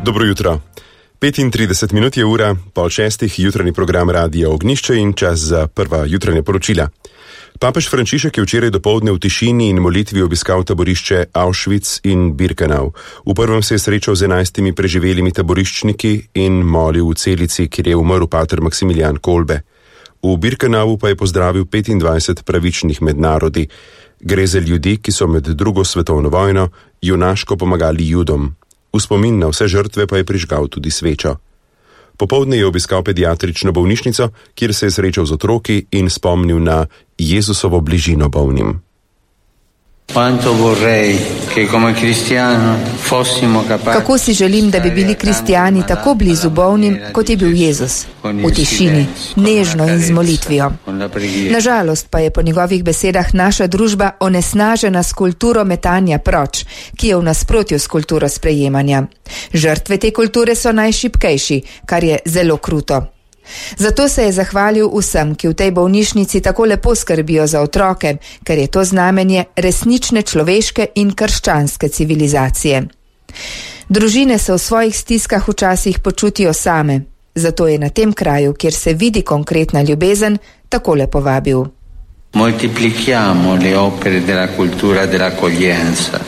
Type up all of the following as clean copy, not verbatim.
Dobro jutro. 35 minut je ura, 5:30, jutranji program Radia Ognjišče in čas za prva jutranja poročila. Papež Frančišek je včeraj dopoldne v tišini in molitvi obiskal taborišče Auschwitz in Birkenau. V prvem se je srečal z 11 preživelimi taboriščniki in molil v celici, kjer je umrl pater Maksimilijan Kolbe. V Birkenau pa je pozdravil 25 pravičnih med narodi. Gre za ljudi, ki so med drugo svetovno vojno junaško pomagali Judom. V spomin na vse žrtve pa je prižgal tudi svečo. Popoldne je obiskal pediatrično bolnišnico, kjer se je srečal z otroki in spomnil na Jezusovo bližino bolnim. Kako si želim, da bi bili kristijani tako blizu bolnim, kot je bil Jezus, v tišini, nežno in z molitvijo. Nažalost pa je po njegovih besedah naša družba onesnažena s kulturo metanja proč, ki je v nasprotju s kulturo sprejemanja. Žrtve te kulture so najšibkejši, kar je zelo kruto. Zato se je zahvalil vsem, ki v tej bolnišnici tako lepo skrbijo za otroke, ker je to znamenje resnične človeške in krščanske civilizacije. Družine se v svojih stiskah včasih počutijo same, zato je na tem kraju, kjer se vidi konkretna ljubezen, takole povabil.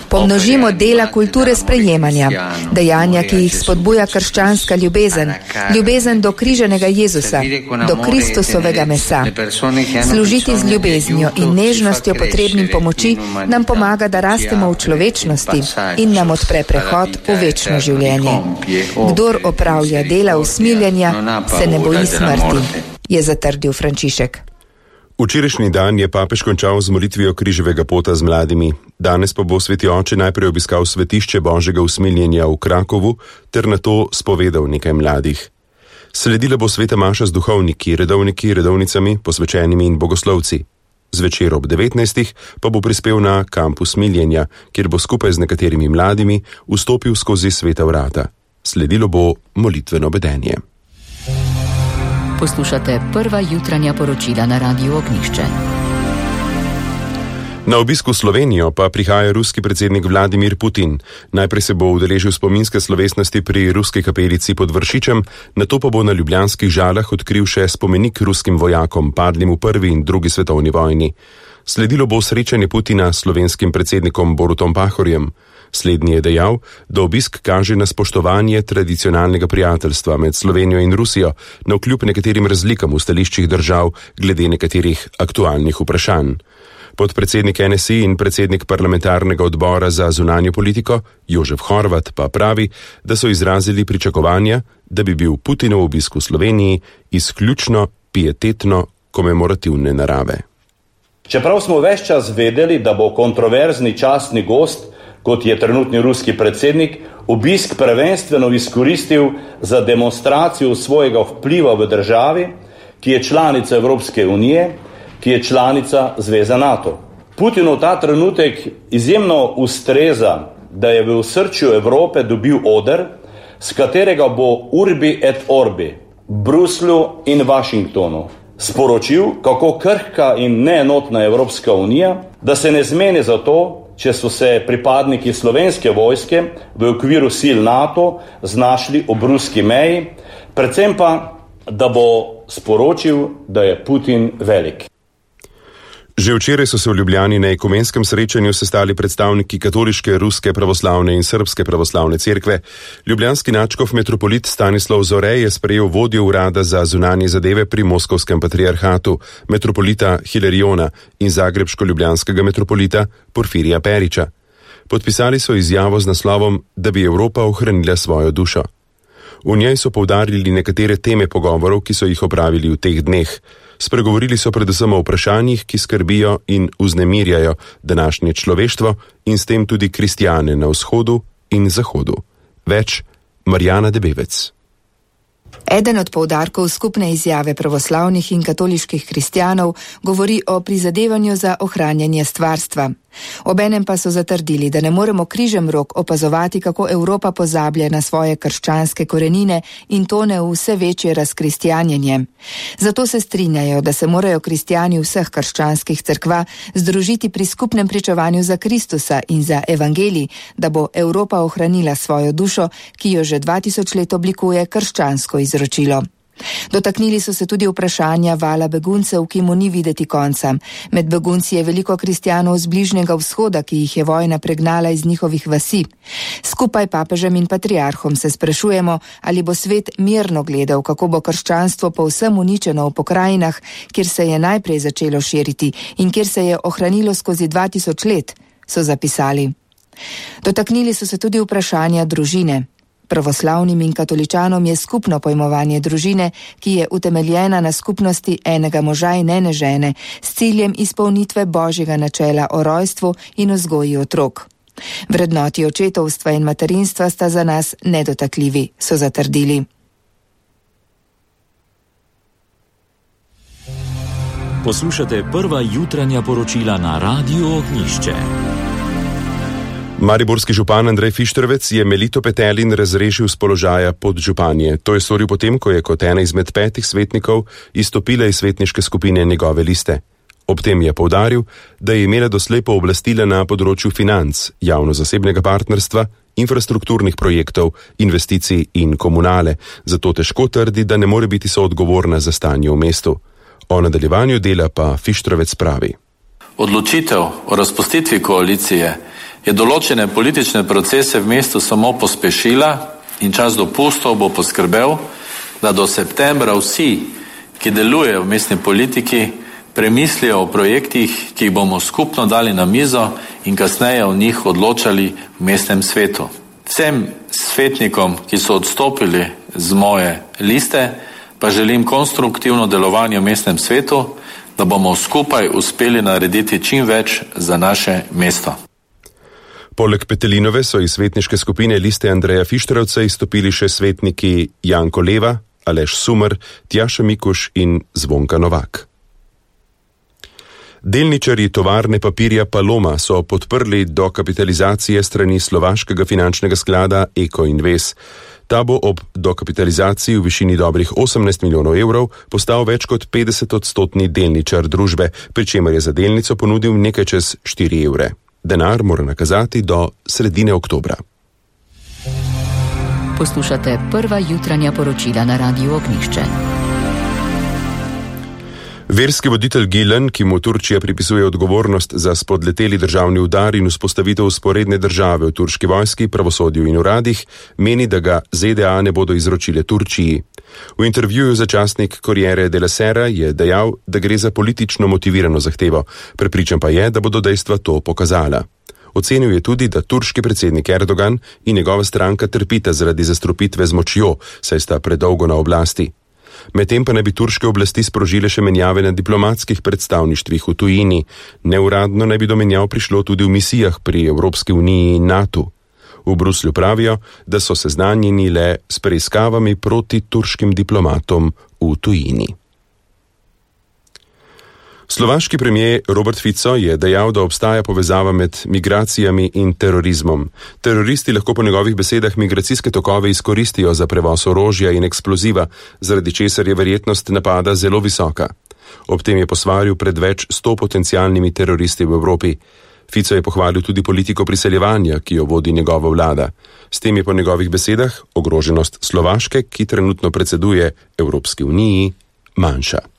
Pomnožimo dela kulture sprejemanja, dejanja, ki jih spodbuja krščanska ljubezen, ljubezen do križenega Jezusa, do Kristusovega mesa. Služiti z ljubeznijo in nežnostjo potrebnim pomoči nam pomaga, da rastemo v človečnosti in nam odpre prehod v večno življenje. Kdor opravlja dela usmiljenja, se ne boji smrti, je zatrdil Frančišek. Včerajšnji dan je papež končal z molitvijo križevega pota z mladimi. Danes pa bo sveti oče najprej obiskal svetišče Božjega usmiljenja v Krakovu ter nato spovedal nekaj mladih. Sledila bo sveta maša z duhovniki, redovniki, redovnicami, posvečenimi in bogoslovci. Zvečer ob 19. pa bo prispel na kamp usmiljenja, kjer bo skupaj z nekaterimi mladimi vstopil skozi sveta vrata. Sledilo bo molitveno bedenje. Poslušate prva jutranja poročila na Radiu Ognjišče. Na obisku v Slovenijo pa prihaja ruski predsednik Vladimir Putin. Najprej se bo udeležil spominske slovesnosti pri ruski kapelici pod Vršičem, nato pa bo na ljubljanskih Žalah odkril še spomenik ruskim vojakom, padlim v prvi in drugi svetovni vojni. Sledilo bo srečanje Putina s slovenskim predsednikom Borutom Pahorjem. Slednji je dejal, da obisk kaže na spoštovanje tradicionalnega prijateljstva med Slovenijo in Rusijo, navkljub nekaterim razlikam v stališčih držav glede nekaterih aktualnih vprašanj. Podpredsednik NSI in predsednik parlamentarnega odbora za zunanjo politiko Jožef Horvat pa pravi, da so izrazili pričakovanja, da bi bil Putinov obisk v Sloveniji izključno pietetno komemorativne narave. Čeprav smo ves čas vedeli, da bo kontroverzni častni gost, kot je trenutni ruski predsednik, obisk prvenstveno izkoristil za demonstracijo svojega vpliva v državi, ki je članica Evropske unije, ki je članica Zveze NATO. Putinov ta trenutek izjemno ustreza, da je v osrčju Evrope dobil oder, s katerega bo urbi et orbi, Bruslju in Washingtonu sporočil, kako krhka in neenotna Evropska unija, da se ne zmeni za to, če so se pripadniki slovenske vojske v okviru sil NATO znašli ob ruski meji, predvsem pa, da bo sporočil, da je Putin velik. Že včeraj so se v Ljubljani na ekumenskem srečanju sestali predstavniki katoliške, ruske pravoslavne in srbske pravoslavne cerkve. Ljubljanski nadškof metropolit Stanislav Zore je sprejel vodjo urada za zunanje zadeve pri Moskovskem patriarhatu, metropolita Hilariona in zagrebško-ljubljanskega metropolita Porfirija Periča. Podpisali so izjavo z naslovom, da bi Evropa ohranila svojo dušo. V njej so poudarili nekatere teme pogovorov, ki so jih opravili v teh dneh. Spregovorili so predvsem o vprašanjih, ki skrbijo in vznemirjajo današnje človeštvo in s tem tudi kristjane na vzhodu in zahodu. Več Marjana Debevec. Eden od poudarkov skupne izjave pravoslavnih in katoliških kristjanov govori o prizadevanju za ohranjanje stvarstva. Obenem pa so zatrdili, da ne moremo križem rok opazovati, kako Evropa pozablja na svoje krščanske korenine in tone v vse večje razkristjanjenje. Zato se strinjajo, da se morajo kristjani vseh krščanskih cerkva združiti pri skupnem pričevanju za Kristusa in za evangelij, da bo Evropa ohranila svojo dušo, ki jo že 2000 let oblikuje krščansko izročilo. Dotaknili so se tudi vprašanja vala beguncev, ki mu ni videti konca. Med begunci je veliko kristjanov z Bližnjega vzhoda, ki jih je vojna pregnala iz njihovih vasi. Skupaj papežem in patriarhom se sprašujemo, ali bo svet mirno gledal, kako bo krščanstvo povsem uničeno v pokrajinah, kjer se je najprej začelo širiti in kjer se je ohranilo skozi 2000 let, so zapisali. Dotaknili so se tudi vprašanja družine. Pravoslavnim in katoličanom je skupno pojmovanje družine, ki je utemeljena na skupnosti enega moža in ene žene, s ciljem izpolnitve božjega načela o rojstvu in vzgoji otrok. Vrednoti očetovstva in materinstva sta za nas nedotakljivi, so zatrdili. Poslušate prva jutranja poročila na Radiu Ognjišče. Mariborski župan Andrej Fištrovec je Melito Petelin razrešil z položaja podžupanje. To je storil potem, ko je kot ena izmed 5 svetnikov izstopila iz svetniške skupine njegove liste. Ob tem je poudaril, da je imela doslej pooblastila na področju financ, javno-zasebnega partnerstva, infrastrukturnih projektov, investicij in komunale, zato težko trdi, da ne more biti soodgovorna za stanje v mestu. O nadaljevanju dela pa Fištrovec pravi. Odločitev o razpustitvi koalicije je določene politične procese v mestu samo pospešila in čas dopustov bo poskrbel, da do septembra vsi, ki delujejo v mestni politiki, premislijo o projektih, ki jih bomo skupno dali na mizo in kasneje o njih odločali v mestnem svetu. Vsem svetnikom, ki so odstopili z moje liste, pa želim konstruktivno delovanje v mestnem svetu, da bomo skupaj uspeli narediti čim več za naše mesto. Poleg Petelinove so iz svetniške skupine liste Andreja Fištrovca izstopili še svetniki Janko Leva, Aleš Sumer, Tjaša Mikuš in Zvonka Novak. Delničarji tovarne papirja Paloma so podprli dokapitalizacije strani slovaškega finančnega sklada Eko Invest. Ta bo ob dokapitalizaciji v višini dobrih 18 milijonov evrov postal več kot 50-odstotni delničar družbe, pri čemer je za delnico ponudil nekaj čez 4 evre. Denar mora nakazati do sredine oktobra. Poslušate prva jutranja poročila na Radiu Ognjišče. Verski voditelj Gilen, ki mu Turčija pripisuje odgovornost za spodleteli državni udar in vzpostavitev vzporedne države v turški vojski, pravosodju in uradih, meni, da ga ZDA ne bodo izročile Turčiji. V intervjuju za časnik Corriere della Sera je dejal, da gre za politično motivirano zahtevo, prepričan pa je, da bodo dejstva to pokazala. Ocenil je tudi, da turški predsednik Erdogan in njegova stranka trpita zaradi zastrupitve z močjo, saj sta predolgo na oblasti. Medtem pa naj bi turške oblasti sprožile še menjave na diplomatskih predstavništvih v tujini. Neuradno naj bi do menjav prišlo tudi v misijah pri Evropski uniji in NATO. V Bruslju pravijo, da so seznanjeni le s preiskavami proti turškim diplomatom v tujini. Slovaški premijer Robert Fico je dejal, da obstaja povezava med migracijami in terorizmom. Teroristi lahko po njegovih besedah migracijske tokove izkoristijo za prevoz orožja in eksploziva, zaradi česar je verjetnost napada zelo visoka. Ob tem je posvaril pred več 100 potencialnimi teroristi v Evropi. Fico je pohvalil tudi politiko priseljevanja, ki jo vodi njegova vlada. S tem je po njegovih besedah ogroženost Slovaške, ki trenutno predseduje Evropski uniji, manjša.